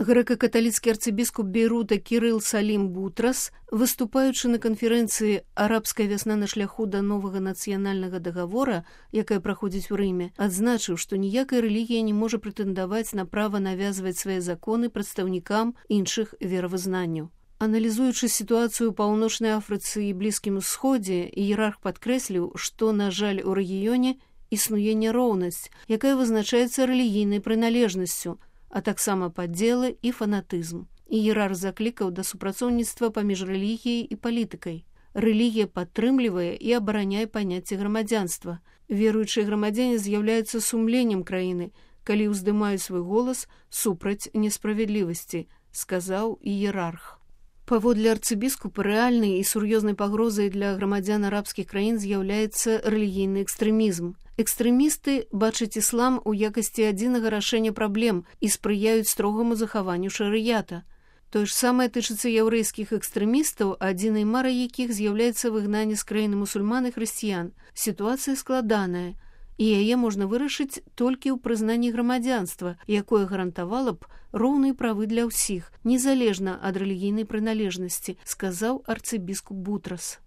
Грэка-каталіцкі арцыбіскуп Бейрута Кірыл Салім Бутрас, выступаючы на канферэнцыі «Арабская вясна на шляху да новага нацыянальнага дагавора», якая праходзіць у Рыме, адзначыў, што ніякая рэлігія не можа прэтэндаваць на права навязваць свае законы прадстаўнікам іншых веравызнанняў. Аналізуючы сітуацыю ў Паўночнай Афрыцы і Блізкім Усходзе, іерарх падкрэсліў, што, на жаль, у рэгіёне існуе няроўнасць, якая вызначаецца рэлігійнай прыналежнасцю, а таксама падзелы і фанатызм. Іерарх заклікаў да супрацоўніцтва паміж рэлігіяй і палітыкай. Рэлігія падтрымлівае і абараняе паняцце грамадзянства. Веруючыя грамадзяне з'яўляюцца сумленнем краіны, калі ўздымаюць свой голас супраць несправядлівасці, сказаў іерарх. Паводле арцыбіскупа, рэальнай і сур'ёзнай пагрозай для грамадзян арабскіх краін з'яўляецца рэлігійны экстрэмізм. Экстрэмісты бачаць іслам у якасці адзінага рашэння праблем і спрыяюць строгаму захаванню шарыята. Тое ж самае тычыцца яўрэйскіх экстрэмістаў, адзінай марай якіх з'яўляецца выгнанне з краіны мусульман і хрысціян. Сітуацыя складаная, і яе можна вырашыць толькі ў прызнанні грамадзянства, якое гарантавала б роўныя правы для ўсіх, незалежна ад рэлігійнай прыналежнасці, сказаў арцыбіскуп Бутрас.